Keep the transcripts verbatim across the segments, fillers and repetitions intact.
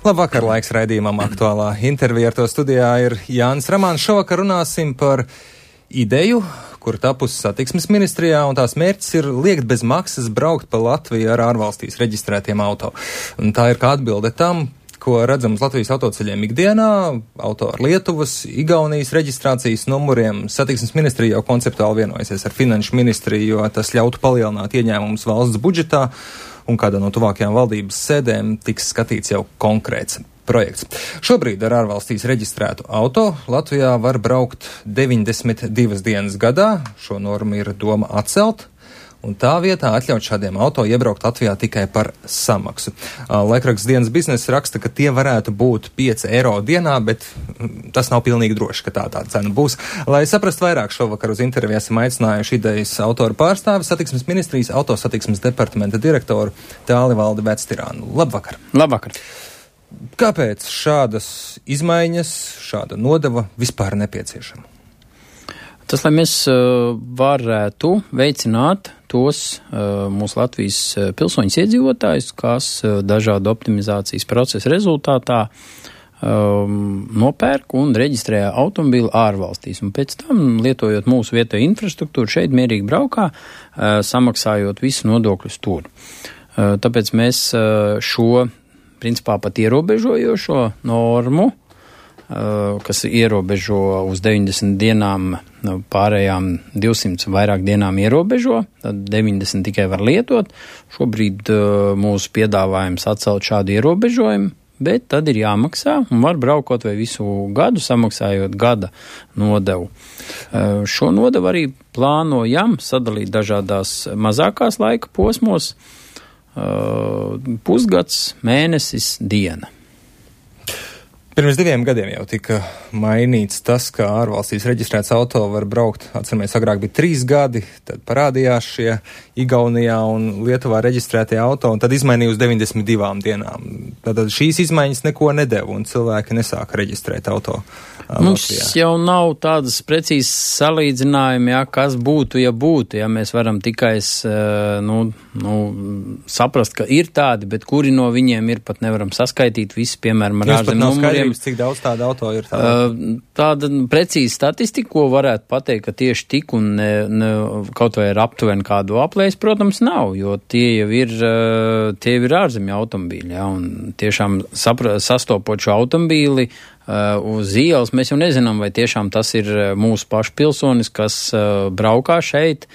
Labvakar, laiks raidījumam aktuālā intervija. Ar to studijā ir Jānis Ramāns. Šovakar runāsim par ideju, kur tapusi satiksmes ministrijā, un tās mērķis ir liekt bez maksas braukt pa Latviju ar ārvalstīs reģistrētiem auto. Un tā ir kā atbilde tam, ko redzam uz Latvijas autoceļiem ikdienā, auto ar Lietuvas, Igaunijas reģistrācijas numuriem. Satiksmes ministrija jau konceptuāli vienojusies ar finanšu ministriju, jo tas ļautu palielināt ieņēmumus valsts budžetā, un kādā no tuvākajām valdības sēdēm tiks skatīts jau konkrēts projekts. Šobrīd ar ārvalstīs reģistrētu auto Latvijā var braukt deviņdesmit divas dienas gadā. Šo normu ir doma atcelt, un tā vietā atļaut šādiem auto iebraukt Latvijā tikai par samaksu. Laikraksts Dienas biznesa raksta, ka tie varētu būt pieci eiro dienā, bet tas nav pilnīgi droši, ka tā tā cena būs. Lai saprastu vairāk, šovakar uz interviju esam aicinājuši idejas autoru pārstāvi, satiksmes ministrijas autosatiksmes departamenta direktoru Tālivaldi Vectirānu. Labvakar! Labvakar! Kāpēc šādas izmaiņas, šāda nodeva vispār nepieciešama? Tas, lai mēs uh, varētu veicināt tos uh, mūsu Latvijas pilsoņus iedzīvotājus, kas uh, dažādu optimizācijas procesu rezultātā um, nopērk un reģistrē automobīlu ārvalstīs. Un pēc tam, lietojot mūsu vietējo infrastruktūru, šeit mierīgi braukā, uh, samaksājot visu nodokļus tur. Uh, tāpēc mēs uh, šo, principā pat ierobežojošo normu, kas ierobežo uz deviņdesmit dienām, pārējām divsimt vairāk dienām ierobežo, tad deviņdesmit tikai var lietot. Šobrīd mūsu piedāvājums atcelt šādu ierobežojumu, bet tad ir jāmaksā un var braukot vai visu gadu, samaksājot gada nodevu. Šo nodevu arī plānojam sadalīt dažādās mazākās laika posmos, pusgads, mēnesis, diena. Pirms diviem gadiem jau tika mainīts tas, ka ārvalstīs reģistrēts auto var braukt, atceramies, agrāk bija trīs gadi, tad parādījās šie Igaunijā un Lietuvā reģistrētie auto, un tad izmainīja uz deviņdesmit divām dienām. Tātad šīs izmaiņas neko nedeva, un cilvēki nesāka reģistrēt auto. Mums Latvijā. Jau nav tādas precīzas salīdzinājumi, ja, kas būtu, ja būtu, ja mēs varam tikai nu, nu, saprast, ka ir tādi, bet kuri no viņiem ir, pat nevaram saskaitīt visi, piemēram, ar ārzem numuriem. Cik daudz tāda auto ir? Tāda, uh, tāda precīza statistika, ko varētu pateikt, ka tieši tik un ne, ne, kaut vai ir aptuveni kādu aplēs, protams, nav, jo tie jau ir, uh, tie jau ir ārzemju automobīļi, ja, un tiešām sapra, sastopot šo automobīli uh, uz ielas, mēs jau nezinām, vai tiešām tas ir mūsu pašu pilsonis, kas uh, braukā šeit,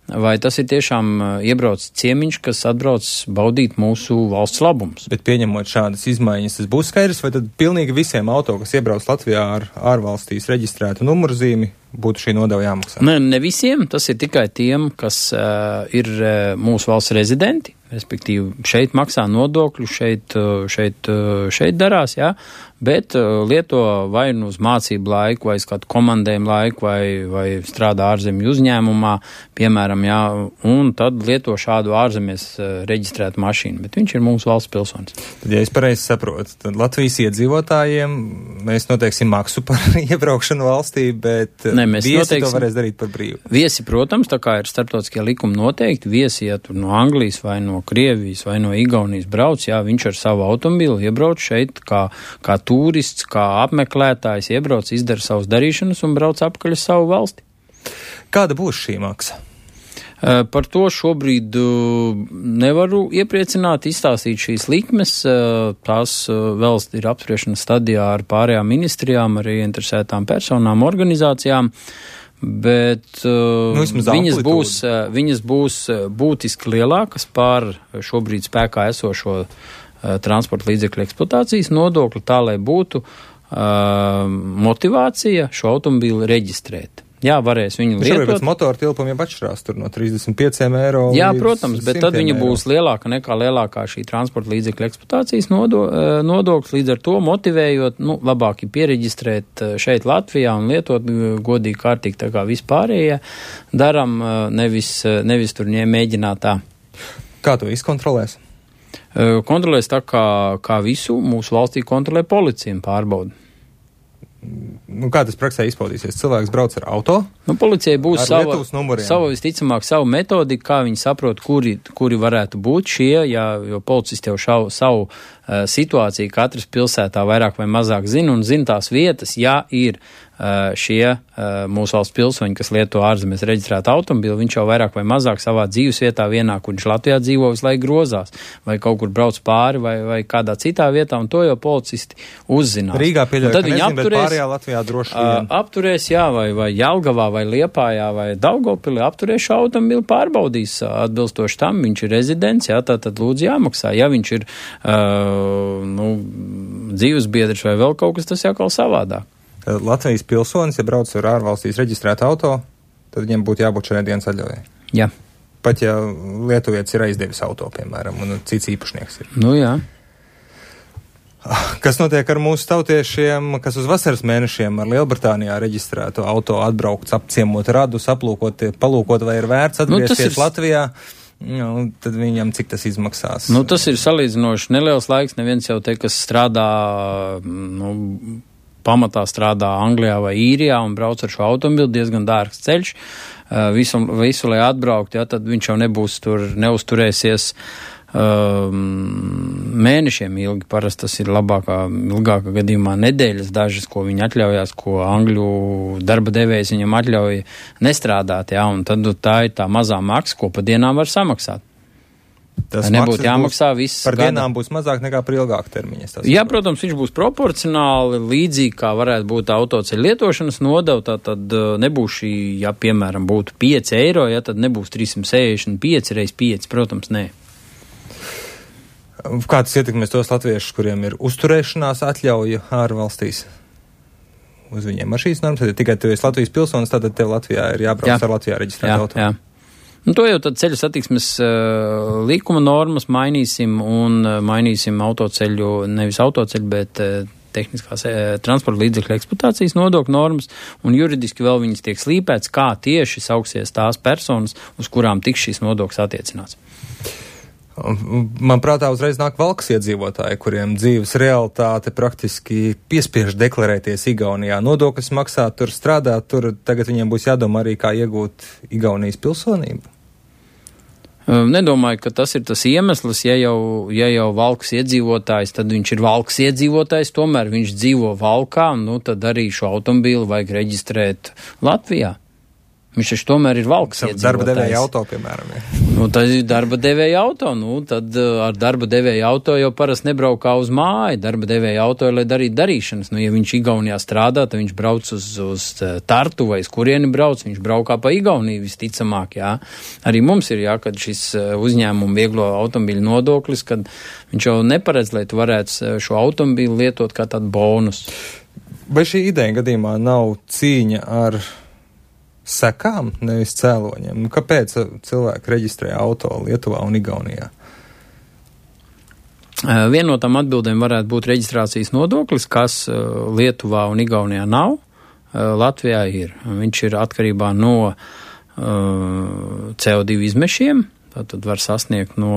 vai tas ir tiešām iebraucis ciemiņš, kas atbrauc baudīt mūsu valsts labumus. Bet pieņemot šādas izmaiņas, tas būs skaidrs, vai tad pilnīgi visiem auto, kas iebrauc Latvijā ar ārvalstīs reģistrētu numurzīmi, būtu šī nodeva jāmaksā? Ne, ne visiem, tas ir tikai tiem, kas uh, ir uh, mūsu valsts rezidenti, respektīvi šeit maksā nodokļu, šeit, šeit, šeit darās, jā, bet lieto vai nu uz mācību laiku, vai uz kādu komandējumu laiku, vai, vai strādā ārzemju uzņēmumā, piemēram, jā, un tad lieto šādu ārzemēs reģistrētu mašīnu, bet viņš ir mūsu valsts pilsonis. Tad, ja es pareizi saprotu, tad Latvijas iedzīvotājiem mēs noteiksim maksu par iebraukšanu valstī, bet ne, viesi noteiksim, to varēs darīt par brīvu. Viesi, protams, tā kā ir starptautiskie likumi noteikti, viesi, ja tur no Anglijas vai no Krievijas vai no Igaunijas brauc, jā, viņš ar savu automobili iebrauc šeit kā, kā turists, kā apmeklētājs, iebrauc, izdara savus darīšanas un brauc apkaļ uz savu valsti. Kāda būs šī maksa? Uh, par to šobrīd uh, nevaru iepriecināt, izstāstīt šīs likmes, uh, tās uh, vēl ir apspriešanas stadijā ar pārējām ministrijām, arī interesētām personām, organizācijām, bet uh, nu, viņas, būs, uh, viņas būs būtiski lielākas pār šobrīd spēkā esošo uh, transporta līdzekļu eksploatācijas nodokli, tā lai būtu uh, motivācija šo automobīli reģistrēt. Jā, varēs viņu lietot. Šobrīd pēc motora tilpuma jau atšķirās tur no trīsdesmit pieciem eiro. Jā, protams, bet tad viņa eiro. Būs lielāka nekā lielākā šī transporta līdzekļu eksploatācijas nodo, nodoklis, līdz ar to motivējot, nu, labāk ir piereģistrēt šeit Latvijā un lietot godīgi kārtīgi tā kā vispārējie daram, nevis, nevis tur mēģināt tā. Kā to izkontrolēs? Kontrolēs tā kā, kā visu mūsu valstī kontrolē policija un pārbauda. nu, kā tas praksē izpaudīsies? Cilvēks brauc ar auto? Nu, policijai būs sava, sava, visticamāk, savu metodiku, kā viņi saprot, kuri, kuri varētu būt šie, jā, jo policisti jau šau, savu uh, situāciju katras pilsētā vairāk vai mazāk zina un zina tās vietas, ja ir uh, šie uh, mūsu valsts pilsoņi, kas lieto ārzemēs reģistrētu automobili, viņš jau vairāk vai mazāk savā dzīves vietā vienā, kur viņš Latvijā dzīvo, visu laiku grozās, vai kaut kur brauc pāri, vai, vai kādā citā vietā, un to jau policisti uzzinās. Rīgā pieļauj, ka nezinu, apturēs, bet pārējā Latvijā droši vien. Uh, apturēs, jā, vai, vai Jelgavā, vai Liepājā, vai Daugavpilī apturēs šo automobili, pārbaudīs atbilstoši tam, viņš ir rezidents, jā, tā tad lūdzu jāmaksā. Ja viņš ir uh, nu, dzīvesbiedrs vai vēl kaut kas, tas jākal savādāk. Latvijas pilsonis, ja brauc ar ārvalstīs reģistrētu auto, tad viņiem būtu jābūt šai dienas atļaujai. Jā. Pat ja lietuvietis ir aizdevis auto, piemēram, un cits īpašnieks ir. Nu jā. Kas notiek ar mūsu tautiešiem, kas uz vasaras mēnešiem ar Lielbritānijā reģistrētu auto atbraukt, apciemot radus, aplūkot, palūkot, vai ir vērts atgriezties nu, ir... Latvijā, nu, tad viņam cik tas izmaksās? Nu, tas ir salīdzinoši neliels laiks, neviens jau te, kas strādā, nu, pamatā strādā Anglijā vai Īrijā un brauc ar šo automobili, diezgan dārgs ceļš, visu, visu lai atbraukt, ja, tad viņš jau nebūs tur, neuzturēsies Um, mēnešiem ilgi, parasti tas ir labākā, ilgākā gadījumā nedēļas dažas, ko viņi atļaujās, ko angļu darba devējs viņam atļauj nestrādāt, jā, un tad tā ir tā mazā maksa, ko pa dienām var samaksāt. Tas nebūtu jāmaksā viss par gada. Dienām būs mazāk nekā par ilgāku termiņu. Jā, protams, viņš būs proporcionāli līdzīgi, kā varētu būt autoceļu lietošanas nodeva, tā tad nebūs šī, ja piemēram būtu pieci eiro, ja tad nebūs trīssimt sešdesmit pieci reiz pieci, protams, nē. Kā tas ietekmēs tos latviešus, kuriem ir uzturēšanās atļauja ārvalstīs? Uz viņiem ar šīs normas, tad tikai tu esi Latvijas pilsonis, tad tev Latvijā ir jābrauc jā. Ar Latvijā reģistrētu auto. Jā. Nu, to jau tad ceļu satiksmes uh, līkuma normas mainīsim un uh, mainīsim autoceļu, nevis autoceļu, bet uh, tehniskās uh, transporta līdzekļu eksploatācijas nodokļu normas, un juridiski vēl viņas tiek slīpēts, kā tieši sauksies tās personas, uz kurām tiks šīs nodokļas attiecināts. Man prātā uzreiz nāk Valkas iedzīvotāji, kuriem dzīves realitāte praktiski piespiež deklarēties Igaunijā. Nodokļus maksāt, tur strādāt, tur tagad viņiem būs jādomā arī, kā iegūt Igaunijas pilsonību. Nedomāju, ka tas ir tas iemesls, ja jau, ja jau Valkas iedzīvotājs, tad viņš ir Valkas iedzīvotājs, tomēr viņš dzīvo Valkā, nu tad arī šo automobīlu vajag reģistrēt Latvijā. Viņš taču tomēr ir Valkas iedzīvotājs. Darba devēja auto, piemēram. Ja. Nu, tas ir darba devēja auto, nu, tad ar darba devēja auto jau parasti nebraukā uz māju. Darba devēja auto, lai darītu darīšanas. Nu, ja viņš Igaunijā strādā, tad viņš brauc uz, uz Tartu vai uz kurieni brauc, viņš braukā pa Igauniju visticamāk, jā. Arī mums ir, jā, kad šis uzņēmumu vieglo automobīļu nodoklis, kad viņš jau neparedz, lai tu varētu šo automobīlu lietot kā tādu bonus. Vai šī ideja gadījumā nav cīņa ar sekām, nevis cēloņiem? Nu, kāpēc cilvēki reģistrē auto Lietuvā un Igaunijā? Viena no tām atbildēm varētu būt reģistrācijas nodoklis, kas Lietuvā un Igaunijā nav, Latvijā ir. Viņš ir atkarībā no C O divi izmešiem, tad var sasniegt no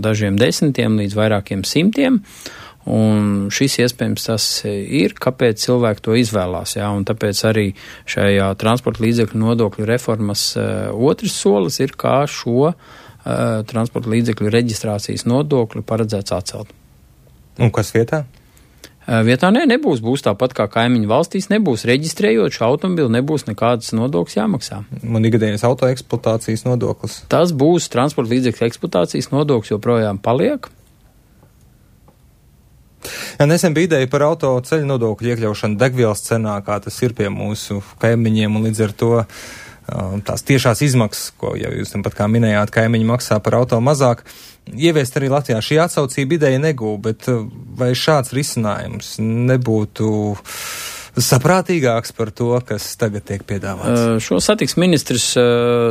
dažiem desmitiem līdz vairākiem simtiem. Un šis iespējams tas ir, kāpēc cilvēki to izvēlās, jā, un tāpēc arī šajā transporta līdzekļu nodokļu reformas uh, otrs solis ir, kā šo uh, transporta līdzekļu reģistrācijas nodokļu paredzēts atcelt. Un kas vietā? Uh, vietā nē, nebūs, būs tāpat kā kaimiņu valstīs, nebūs reģistrējot šo automobili, nebūs nekādas nodokļas jāmaksā. Un ikdienas auto eksploatācijas nodoklis? Tas būs transporta līdzekļu eksploatācijas nodoklis, joprojām paliek. Ja nesen bija ideja par auto ceļu nodokļu iekļaušanu degvielas cenā, kā tas ir pie mūsu kaimiņiem, un līdz ar to tās tiešās izmaksas, ko jau jūs pat kā minējāt, kaimiņi maksā par auto mazāk, ieviest arī Latvijā. Šī atsaucība ideja negūv, bet vai šāds risinājums nebūtu saprātīgāks par to, kas tagad tiek piedāvāts? Šo satiksmes ministrs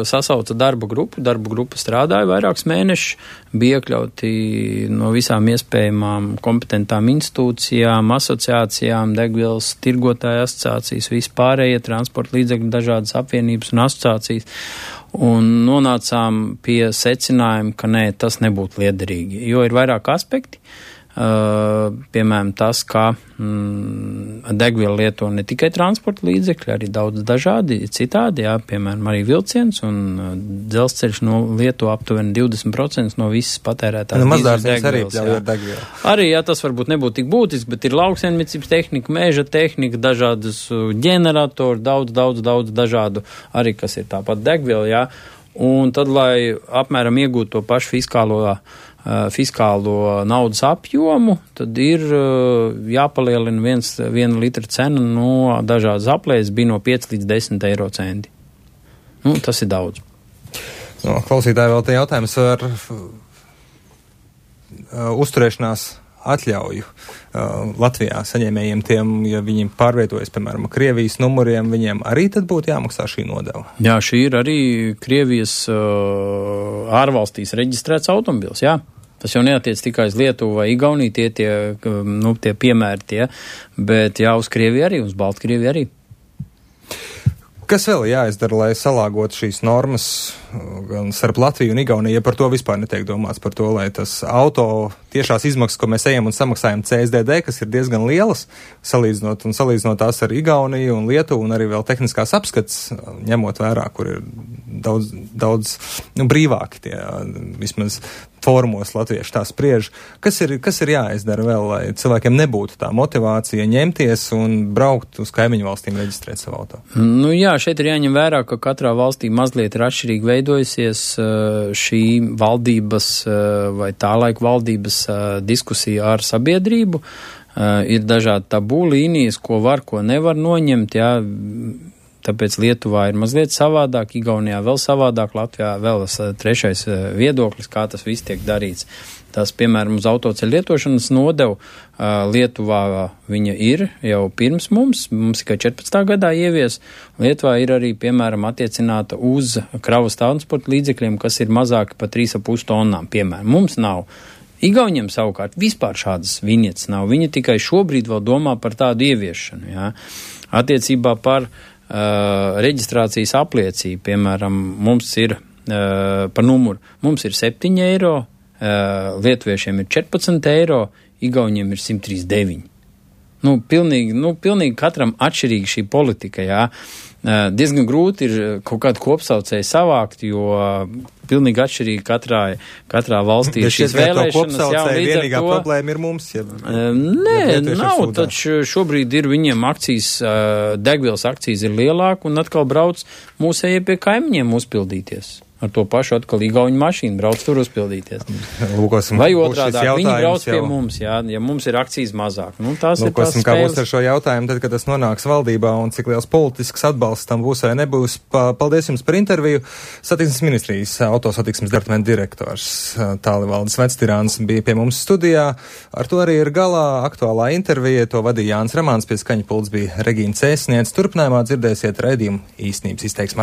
sasauca darba grupu. Darba grupa strādāja vairākus mēnešus, bija iekļauti no visām iespējamām kompetentām institūcijām, asociācijām, degvielas tirgotāju asociācijas, vispārējie transporta līdzekļu dažādas apvienības un asociācijas. Un nonācām pie secinājuma, ka nē, tas nebūtu liederīgi, jo ir vairāk aspekti. Uh, piemēram, tas, ka mm, degvielu lieto ne tikai transporta līdzekļi, arī daudz dažādi citādi, jā, piemēram, arī vilciens un dzelzceļš no lieto aptuveni divdesmit procenti no visas patērētās nu, degvielas. Arī pļauj ar degvielu. Arī, jā, tas varbūt nebūtu tik būtiski, bet ir lauksaimniecības tehnika, meža tehnika, dažādas ģeneratori, daudz, daudz, daudz dažādu arī, kas ir tāpat degviela, jā. Un tad, lai apmēram iegūtu to pašu fiskālo fiskālo naudas apjomu, tad ir jāpalielina viens, viena litra cena no dažādas aplēses bija no pieci līdz desmit eiro centi. Nu, tas ir daudz. No, klausītāji vēl te jautājums ar uh, uzturēšanās atļauju uh, Latvijā saņēmējiem tiem, ja viņi pārvietojas, piemēram, Krievijas numuriem, viņiem arī tad būtu jāmaksā šī nodeva? Jā, šī ir arī Krievijas uh, ārvalstīs reģistrēts automobils, jā. Tas jau neatiec tikai uz Lietuvu vai Igauniju, tie, tie, nu, tie piemēri tie, bet jā, uz Krieviju arī, uz Baltkrieviju arī. Kas vēl jāizdara, lai salāgotu šīs normas gan starp Latviju un Igauniju, ja par to vispār netiek domāts, par to, lai tas auto tiešās izmaksas, ko mēs ejam un samaksājam C S D D, kas ir diezgan lielas, salīdzinot un salīdzinot tās ar Igauniju un Lietuvu un arī vēl tehniskās apskats, ņemot vērā, kur ir daudz, daudz nu, brīvāki tie vismaz fórumos latvieši tā spriež. Kas ir, kas ir jāizdara vēl, lai cilvēkiem nebūtu tā motivācija ņemties un braukt uz kaimiņu valstīm reģistrēt savu auto? Nu jā, šeit ir jāņem vērā, ka katrā valstī mazliet ir atšķirīgi veidojusies šī valdības vai tā laika valdības diskusija ar sabiedrību. Ir dažādi tabū līnijas, ko var, ko nevar noņemt, jā. Tāpēc Lietuvā ir mazliet savādāk, Igaunijā vēl savādāk, Latvijā vēl trešais viedoklis, kā tas viss tiek darīts. Tas, piemēram, uz autoceļu lietošanas nodevu Lietuvā viņa ir jau pirms mums, mums tikai četrpadsmitā gadā ievies. Lietuvā ir arī, piemēram, attiecināta uz kravas transporta līdzekļiem, kas ir mazāki par trīs ar pus tonnām, piemēram. Mums nav. Igauniem savukārt vispār šādas viņietas nav. Viņi tikai šobrīd vēl domā par tādu ieviešanu, jā. Attiecībā par Uh, reģistrācijas apliecība, piemēram, mums ir uh, par numuru, mums ir septiņi eiro, uh, lietuviešiem ir četrpadsmit eiro, Igauniem ir simt trīsdesmit deviņi. Nu, pilnīgi, nu, pilnīgi katram atšķirīgi šī politika, jā. Uh, diezgan grūti ir kaut kādu kopsaucēju savākt, jo pilnīgi atšķirīgi katrā, katrā valstī ir šīs vēlēšanas. Jā, vienīgā to, problēma ir mums. Ja, uh, nē, ja nav, taču šobrīd ir viņiem akcijas, uh, degvielas akcijas ir lielāka un atkal brauc mūsējie pie kaimiņiem uzpildīties. Ar to pašu atkal Igauņu mašīnu brauc tur uzpildīties. Lūkosim, vai otrādāk, viņi brauc pie jau... mums, jā, ja mums ir akcijas mazāk. Nu, tās Lūkosim, ir tās kā būs ar šo jautājumu, tad, kad tas nonāks valdībā un cik liels politisks atbalsts tam būs vai nebūs. Paldies jums par interviju. Satiksmes ministrijas autosatiksmes departamenta direktors Tālivaldis Vectirāns bija pie mums studijā. Ar to arī ir galā aktuālā intervija. To vadīja Jānis Ramāns, pie skaņa pults bija Regīna Cēsniec. Turpinājumā dzirdēsiet raidījumu īstenības izteiksmē.